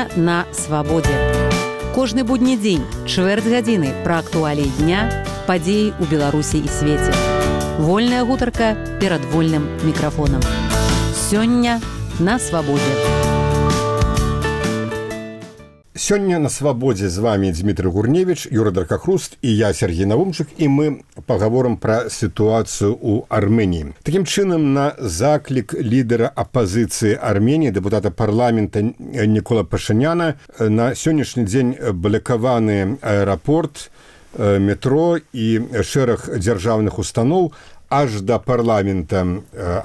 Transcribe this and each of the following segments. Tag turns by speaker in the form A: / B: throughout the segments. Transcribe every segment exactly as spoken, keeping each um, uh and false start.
A: Сёння на свабодзе. Кожны будні дзень, чвэрць гадзіны пра актуаліі дня, падзеі ў Беларусі і свеце. Вольная гутарка перад вольным мікрафонам. Сёння на свабодзе.
B: Сёння на свабодзе з вами Дмітрый Гурневіч, Юра Даркахруст і я, Сергей Навумчык, і мы пагаворым пра сітуацыю ў Арменіі. Такім чынам, на заклік лідара апазіцыі Арменіі, дэпутата парламента Нікола Пашыняна, на сённяшні дзень блакаваны аэрапорт, метро і шэраг дзяржаўных устаноў аж да парламента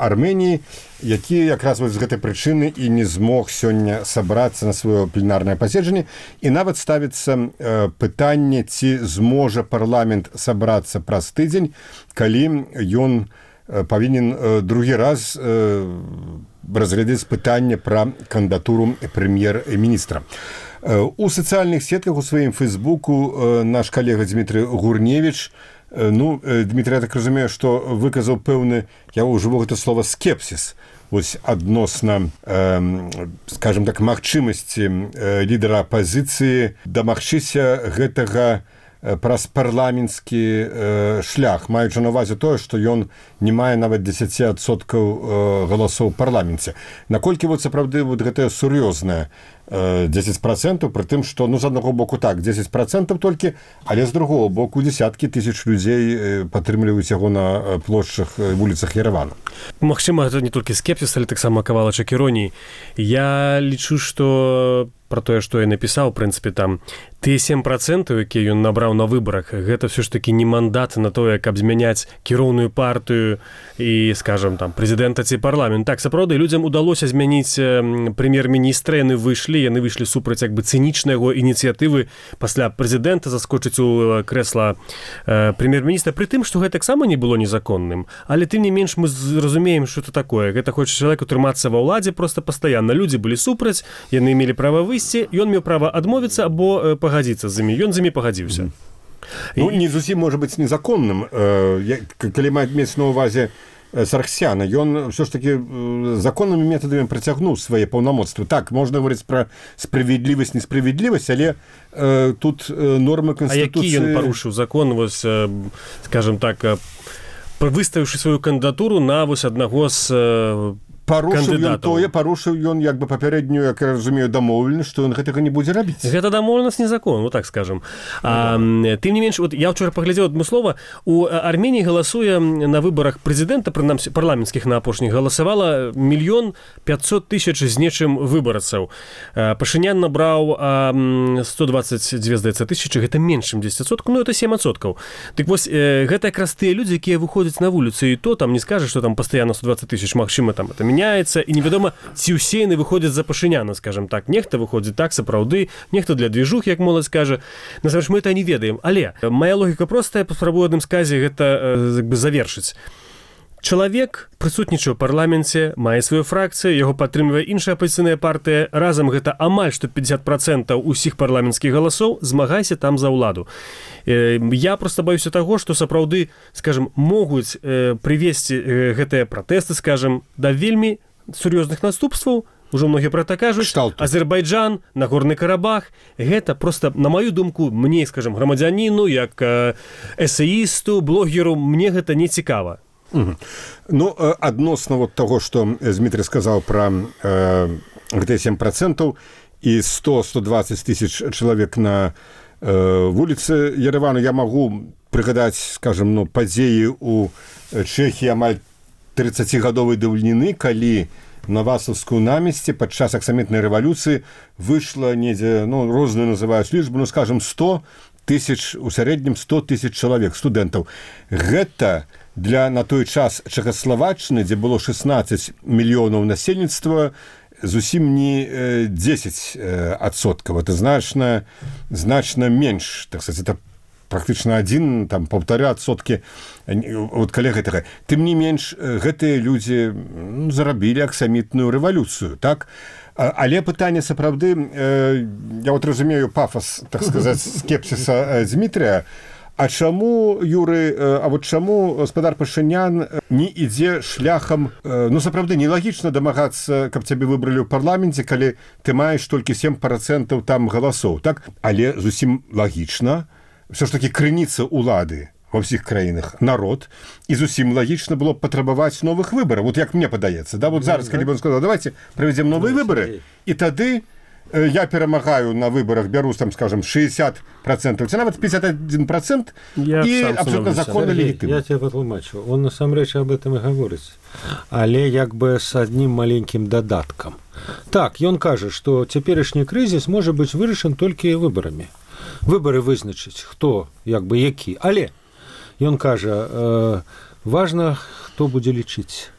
B: Арменіі, які якраз з гэтай прычыны і не змог сёння сабрацца на сваё пленарнае паседжанне. І нават ставіцца пытанне, ці зможа парламент сабрацца праз тыдзень, калі ён павінен другі раз разглядаць пытанне пра кандыдатуру прэм'ер-міністра. У сацыяльных сетках у сваім фейсбуку наш калега Дмітрый Гурневіч, ну, Дмітрый, я так разумею, што выказаў пэўны, я ўжыву гэта слова, скепсіс вось адносна, э, скажем так, магчымасці э, лідара апазіцыі дамагчыся гэтага э, праз парламенtsкі э, шлях, маючы на ўвазе тое, што ён не мае нават дзесяць адсоткаў э, галасоў у парламенце. Наколькі вот сапраўды вот гэтая сур'ёзная дзесяць процентаў, пры тым, што, ну, з аднаго боку так, дзесяць процентаў толькі, але з другого боку дзесяткі тысяч людзей падтрымліваюць яго на плошчах, вуліцах Еревану.
C: Магчыма, гэта не толькі скепсіс, але таксама кавалачак іроніі. Я лічу, што пра тое, што я напісаў, у прынцыпе, там, тыя сем процентаў, якія ён набраў на выбарах, гэта ўсё ж такі не мандат на тое, каб змяняць кіроўную партыю і, скажам, там, прэзідэнта ці парламент. Так, сапраўды, людзям удалося змяніць прэм'ер-міністра, яны выйшлі, яны выйшлі супраць як бы цынічнай яго ініцыятывы пасля прэзідэнта заскочыць у крэсла э, прэм'ер-міністра, пры тым, што гэта таксама не было незаконным. Але тым не менш мы зразумеем, што это такое. Гэта хоча чалавек утрымацца ва ўладзе проста пастаянна. Людзі былі супраць, яны мелі права выйсці, ён меў права адмовіцца або э, пагадзіцца з імі. Ён з імі пагадзіўся.
B: Ну, не зусім можа быць незаконным. Э, калі мець на ўвазе Сарксяна, ён ўсё ж такі законнымі метадамі працягнуў свае паўнамоцтвы. Так, можна гаварыць пра справядлівасць, несправядлівасць, але э, тут э, нормы Канстытуцыі...
C: А які ён парушыў закон, вось, э, скажем так, э, выставіўшы сваю кандыдатуру на вось аднаго з э,
B: парушыў ён тое, парушыў ён як бы папярэднюю, як я разумею, дамоўленасць, што ён гэтага не будзе рабіць.
C: Гэта дамоўленасць незакон, вот так скажем. А, тым не менш, вот я вчора паглядзеў адмыслова, у Арменіі галасуе на выбарах прэзідэнта, прынамсі парламенцкіх на апошніх, галасавала мільён пятьсот тысяч з нечым выбарцаў. Пашынян набраў сто двадцать две, здаецца, тысячы, гэта менш, чым дзесяць адсоткаў, ну, это сем адсоткаў. Дык вось, гэта якраз тыя людзі, якія выходзяць на вуліцу, і то там не скажаш, што там пастаянна сто двадцать тысяч, магчыма, там это мяняецца, і невядома, ці ўсе яны выходзяць за Пашыняна, скажем так. Нехта выходзіць так, сапраўды, нехта для движух, як моладзь кажа. Насамрэч, мы это не ведаем. Але мая логіка простая, паспрабую адным сказе гэта як бы завершыць. Чалавек прысутнічае ў парламенце, мае сваю фракцыю, яго падтрымлівае іншая апазіцыйная партыя, разам гэта амаль што пятьдесят процентаў усіх парламенцкіх галасоў, змагайся там за ўладу. Я проста баюся таго, што сапраўды, скажем, могуць прывесці гэтыя пратэсты, скажем, да вельмі сур'ёзных наступстваў. Ужо многія пра так кажуць. Азербайджан, Нагорны Карабах. Гэта проста, на маю думку, мне, скажем, грамадзяніну, як эсеісту, блогеру, мне гэта не цікава.
B: Угу. Ну, адносна вот таго, што Дмітрый сказаў пра э, гэтыя сем процентаў і сто - сто двадцать тысяч чалавек на э, вуліцы Еревану, я магу прыгадаць, скажем, ну, падзеі ў Чэхіі амаль трыццацігадовай даўніны, калі на Васаўскую намесці падчас аксамітнай рэвалюцыі выйшла недзе, ну, розную называюць лічбу, ну, скажем, сто тысяч, у сярэднім сто тысяч чалавек, студэнтаў. Гэта для на той час Чэхаславаччыны, дзе было шестнадцать мільёнаў насельніцтва, зусім не дзесяць адсоткаў. Это значна, значна менш. Так сказать, это практычна адзін, там, паўтара адсоткі от каля гэтага. Тым не менш, гэтыя людзі ну, зарабілі аксамітную рэвалюцыю, так? Але пытанне сапраўды, я вот разумею пафос, так сказать, скепсиса Дмітрыя, А чаму, Юры, а вот чаму гаспадар Пашынян не ідзе шляхам, ну, сапраўды, нелагічна дамагацца, каб цябе выбралі ў парламенце, калі ты маеш толькі сем працэнтаў там галасоў, так? Але зусім лагічна, все ж таки крыніца улады во всіх краінах народ, і зусім лагічна было б патрабаваць новых выбараў. Вот як мне падаецца, да, вот зараз, калі бы он сказал, давайте правядзем новыя выбары, і тады я перамагаю на выборах, беру, там, скажем, шестьдесят процентов, ці нават пятьдесят один процент, і абсолютно законна легітимна.
D: Я тебе патлумачу. Он насамрэч об этом і гаворыць. Але як бы с одним маленьким додатком. Так, ён кажа, што цяперашні крызіс можа быць вырашан толькі выбарамі. Выбары вызначыць, хто, як бы, які. Але ён кажа, э, важна, хто будзе лічыць.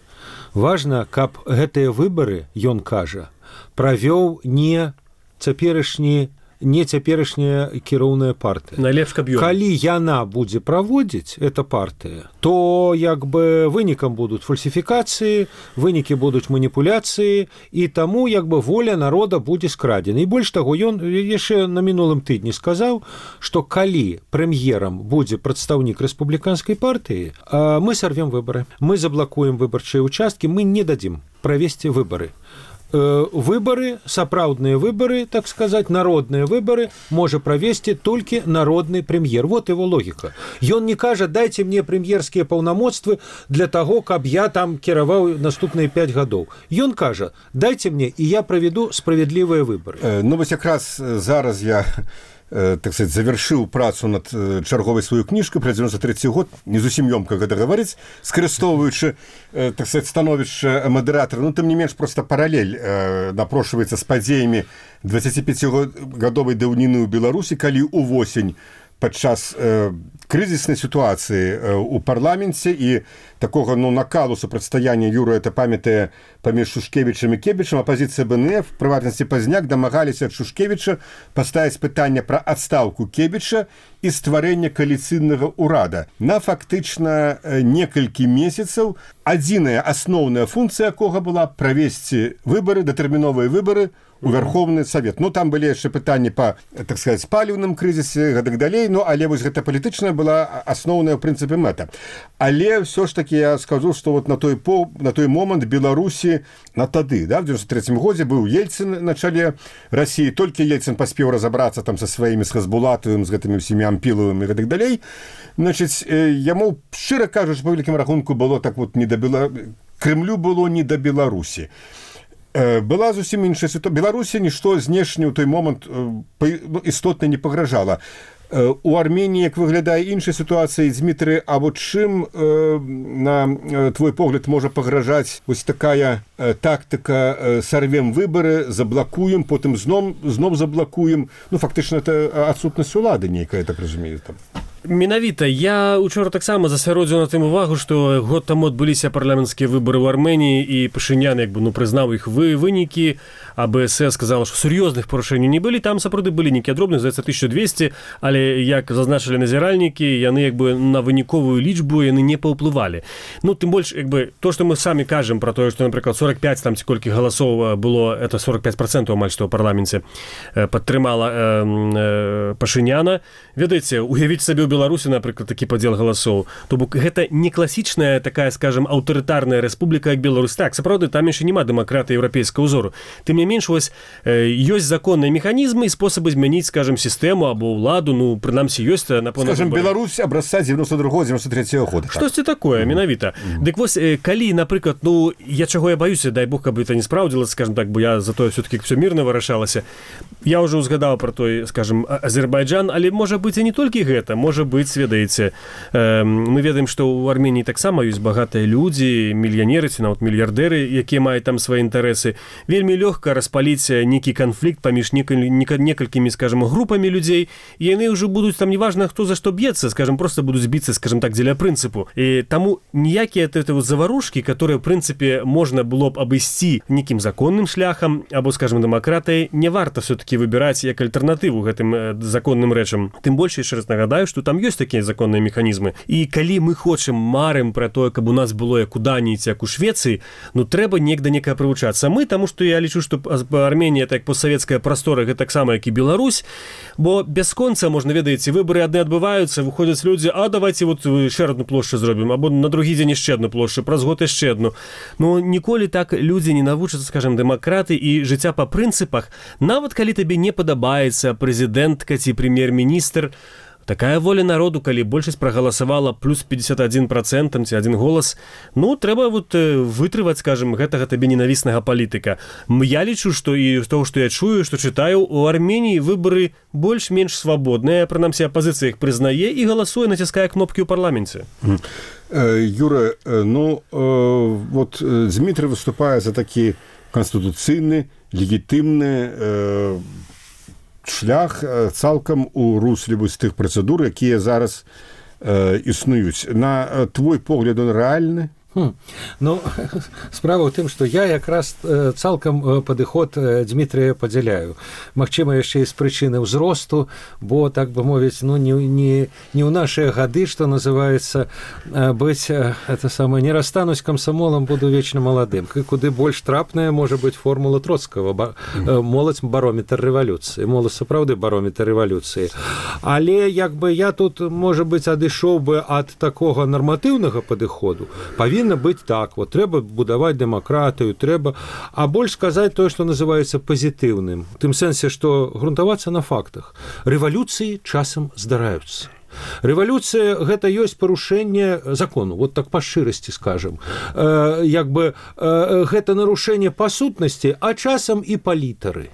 D: Важна, каб гэтыя выбары, ён кажа, правёў не цяперашні, не цяперашняя кіроўная партыя.
C: Найлепш, каб ён.
D: Калі яна будзе праводзіць, эта партыя, то як бы вынікам будуць фальсіфікацыі, вынікі будуць маніпуляцыі, і таму як бы воля народа будзе скрадзена. І больш таго, ён яшчэ на мінулым тыдні сказаў, што калі прэм'ерам будзе прадстаўнік рэспубліканскай партыі, мы сарвем выбары. Мы заблакуем выбарчыя участкі, мы не дадзім правесці выбары. Выборы, сапраўдныя выборы, так сказать, народные выборы можа правесці толькі народны прэм'ер. Вот его логика. Ён не кажа, дайте мне прэм'ерскія паўнамоцтвы для того, каб я там кіраваў наступныя пять гадоў. Ён кажа, дайте мне, і я праведу справядлівыя выборы.
B: Ну, вось якраз зараз я, так сказать, завершыў працу над чарговай сваю кніжку пра девяносто третий год, не зусім ёмка гэта гаварыць, скарыстоўваючы, так сказать, становішча мадэратара. Ну, тым не менш, просто паралель напрошваецца з падзеямі двадцатипятигадовай даўніны ў Беларусі, калі увосень падчас э, крызіснай сітуацыі э, у парламенце і такога, ну, накалу супрацьстаяння, Юра это памятае, паміж Шушкевічам і Кебічам, апазіцыя БНФ, в прыватнасці Пазняк, дамагаліся ад Шушкевіча паставіць пытанне пра адстаўку Кебіча і стварэння кааліцыйнага ўрада. На фактычна некалькі месяцаў адзіная асноўная функцыя якога была правесці выбары, датэрміновыя выбары у Верховны Савет. Ну, там былі яшчэ пытанні па, так сказать, паліўным крызісе, гэтак далей, ну, але вось гэта палітычная была асноўная, ў прынцыпе, мэта. Але ўсё ж таки я скажу, што вот на той, по, на той момант Беларусі, на тады, да, в девяносто третьем годзе быў Ельцин на чале России, толькі Ельцин паспеў разабрацца там са сваімі, з Хазбулатовым, з гэтымі ўсімі Ампіловымі і гэтак далей. Значыць, яму, шчыра кажучы, па вялікім рахунку было так вот не да Бела... Крымлю было не да Беларусі. Была зусім іншая сітуацыя. Беларусі нішто знешне ў той момант істотна не пагражала. У Арменіі, як выглядае іншая сітуацыя, Дмітрый, а вот чым, на твой погляд, можа пагражаць вось такая тактыка сарвем выбары, заблакуем, потым зноў, зноў заблакуем. Ну, фактычна, это адсутнасць улады нейкая, так разумею, там.
C: Менавіта, я учора таксама засяродзіў на тым увагу, што год таму адбыліся парламенцкія выбары ў Арменіі, і Пашынян, як бы, ну, прызнаў іх вы, вынікі, а БСС сказала, што сур'ёзных парушэнняў не былі, там сапраўды былі нейкія дробныя, здаецца, тысяча двести, але, як зазначылі назіральнікі, яны, як бы, на выніковую лічбу яны не паўплывалі. Ну, тым больш, як бы, то, што мы самі кажам пра тое, што, напрыклад, сорок пять там ці колькі галасоў было, это сорок пять процентов амаль што ў парламенце падтрымала э, э, Пашыняна. Ведаеце, уявіць сабе ў Беларусі, напрыклад, такі падзел галасоў. То бок гэта не класічная такая, скажем, аўтарытарная рэспубліка, як Беларусь. Так, сапраўды, там яшчэ няма дэмакратыі еўрапейскага ўзору. Тым не менш, вось э, ёсць законныя механізмы і спосабы змяніць, скажем, сістэму або ўладу, ну, прынамсі, ёсць на пэўна.
B: Скажем, Беларусь абразца девяносто другого девяносто третьего года.
C: Штосьці такое, менавіта. Mm-hmm. Дык вось, э, калі, напрыклад, ну, я чаго я баюся, дай Бог, каб это не спраўдзілася, скажем так, бо я за тое все-таки все мирно вырашалася. Я ўжо узгадаў пра той, скажем, Азербайджан, але можа быць і не толькі гэта, можа быць, ведаеце, э, мы ведаем, што ў Арменіі таксама ёсць багатыя людзі, мільянеры ці нават мільярдэры, якія маюць там свае інтарэсы. Вельмі лёгка распаліць нейкі канфлікт паміж некалькімі, скажем, групамі людзей, і яны ўжо будуць там неважна, хто за што б'ецца, скажем, просто будуць біцца, скажем так, дзеля прынцыпу. І таму ніякія заварушкі, которые, в прынцыпе, можна было б абысці нейкім законным шляхам або, скажем, дэмакратыяй, не варта все-таки выбіраць як альтэрнатыву гэтым законным рэчам. Тым больш, яшчэ раз нагадаю, што там там ёсць такія законныя механізмы. І калі мы хочам, марым пра тое, каб у нас было як у Даніі, як у Швецыі, ну трэба неяк да некага прывучацца. Мы, таму што я лічу, што Арменія, так постсавецкая прастора, гэта таксама, як і Беларусь, бо бясконца, можна, ведаеце, выбары адны адбываюцца, выходзяць людзі, а давайте вот яшчэ адну плошчу зробім, або на другі дзень яшчэ адну плошчу, праз год яшчэ адну. Ну ніколі так людзі не навучацца, скажем, дэмакраты і жыцця па прынцыпах. Нават калі табе не падабаецца прэзідэнтка ці прэм'ер-міністр, такая воля народу, калі большасць прагаласавала плюс пятьдесят один процент ці один голас, ну, трэба вот вытрываць, скажем, гэтага табе ненавіснага палітыка. Я лічу, што і з того, што я чую, што чытаю, у Арменіі выбары больш-менш свабодныя, прынамсі апазіцыя іх прызнае і галасуе, націскае кнопкі ў парламенце.
B: Юра, ну, вот Дмітрый выступае за такі канстытуцыйны, легітымны шлях цалкам у русле вось тых працэдур, якія зараз э, існуюць. На твой погляд, он рэальны?
D: Хм. Ну, справа ў тым, што я якраз цалкам падыход Дмітрыя падзяляю. Магчыма, яшчэ і з прычыны ўзросту, бо, так бы мовіць, ну, не, не, не ў нашыя гады, што называецца, быць, это самае, не расстанусь камсамолам, буду вечна маладым. Куды больш трапная можа быць формула Троцкага. Ба, моладзь барометр рэвалюцыі. Моладзь сапраўды барометр рэвалюцыі. Але, як бы, я тут, можа быць, адышоў бы ад такога нарматыўнага падыходу. Павінна быць так, вот трэба будаваць дэмакратыю, трэба, а больш сказаць тое, што называецца пазітыўным. У тым сэнсе, што грунтавацца на фактах. Рэвалюцыі часам здараюцца. Рэвалюцыя – гэта ёсць парушэнне закону, вот так па шчырасці скажам. Э, як бы э, гэта нарушэнне па сутнасці, а часам і па літары.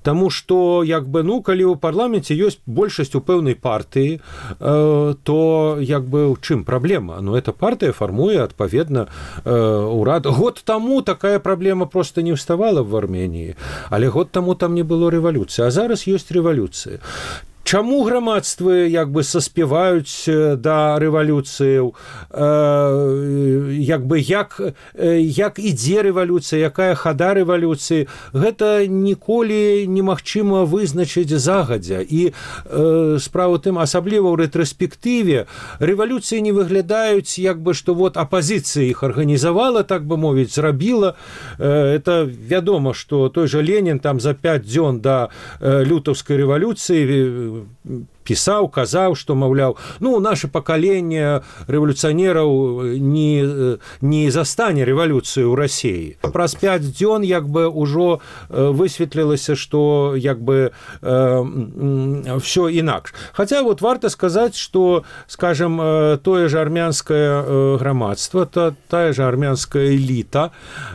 D: Таму што, як бы, ну, калі ў парламенце ёсць большасць у пэўнай партыі, э, то, як бы, у чым праблема? Ну, эта партыя фармуе, адпаведна, э, урад. Год таму такая праблема проста не ўставала в Арменіі, але год таму там не было рэвалюцыі, а зараз ёсць рэвалюцыя. Чаму грамадствы, як бы, саспяваюць да рэвалюцыяў, э, як бы, як, як ідзе рэвалюцыя, якая хада рэвалюцыі, гэта ніколі немагчыма вызначыць загадзя. І э, справа тым, асабліва ў рэтраспектыве, рэвалюцыі не выглядаюць, як бы, што вот апазіцыя іх арганізавала, так бы мовіць, зрабіла. Э, это вядома, што той жа Ленін там за пяць дзён да э, лютаўскай рэвалюцыі пісаў, казаў, што, маўляў, ну, наше пакаленне рэвалюцыянераў не, не застане рэвалюцыю ў Расіі. Праз пяць дзён, як бы, ўжо высветлілася, што, як бы, э, ўсё інакш. Хаця, вот, варта сказаць, што, скажем, тое ж армянскае грамадства, та, тая ж армянская эліта,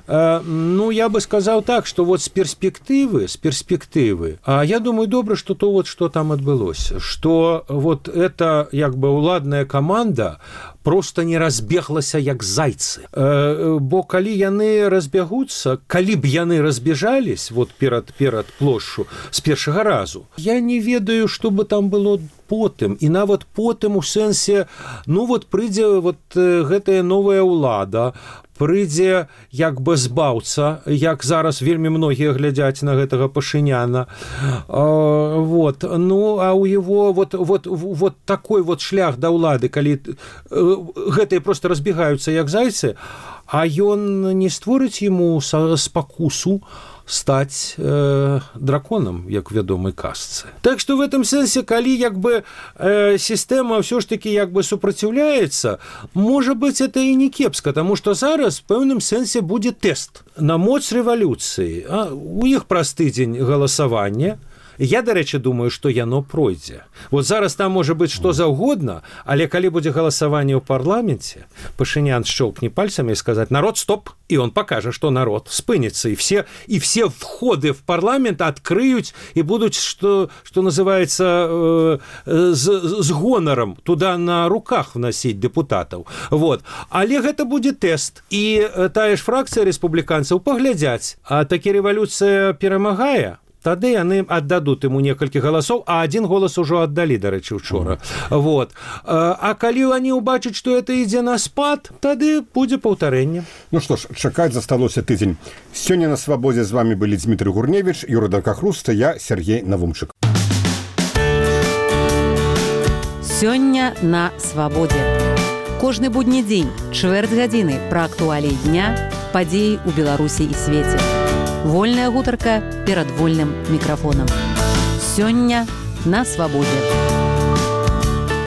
D: э, ну, я бы сказаў так, што вот з перспектывы, з перспектывы, а я думаю, добра, што то вот, што там адбылося, што вот эта, як бы, уладная каманда просто не разбеглася як зайцы. Э, бо калі яны разбягуцца, калі б яны разбежались вот перад, перад плошчу з першага разу, я не ведаю, што бы там было потым. І нават потым у сэнсе, ну вот прыйдзе вот гэтая новая ўлада, прыйдзе, як бы, збаўца, як зараз вельмі многія глядзяць на гэтага Пашыняна. А, вот, ну, а у его вот, вот, вот такой вот шлях да ўлады, калі гэтыя просто разбегаюцца як зайцы, а ён не створыць яму спакусу стаць э, драконам, як вядомай казцы. Так што в этом сэнсе, калі, як бы, э, сістэма ўсё ж такі, як бы, супраціўляецца, можа быць, это і не кепска, таму што зараз в пэўным сэнсе будзе тэст на моц рэвалюцыі. А, у іх праз тыдзень галасавання. Я, дарэчы, думаю, што яно пройдзе. Вот зараз там можа быць што заўгодна, але калі будзе галасаванне ў парламенце, Пашынян шчоўкне пальцамі і сказаць: народ, стоп, і он пакажа, што народ спыніцца, і все, і все входы в парламент адкрыюць і будуць, што, што называецца, э, з, з гонарам туда на руках вносіць дэпутатаў. Вот. Але гэта будзе тэст. І тая ж фракцыя рэспубліканцаў паглядзяць, а такі рэвалюцыя перамагае, тады яны аддадуць ему некалькі галасоў, а адзін голас ужо аддалі, дарэчы, учора. Mm. Вот. А калі они убачаць, што это ідзе на спад, тады будзе паўтарэнне.
B: Ну што ж, чакаць засталося тыдзень. Сёння на свабодзе з вами былі Дмітрый Гурневіч, Юра Даркахруст, я Сергей Навумчык.
A: Сёння на свабодзе. Кожны будні дзень, чвэрць гадзіны пра актуаліі дня, падзеі ў Беларусі і свеце. Вольная гутарка перад вольным мікрафонам. Сёння на свабодзе.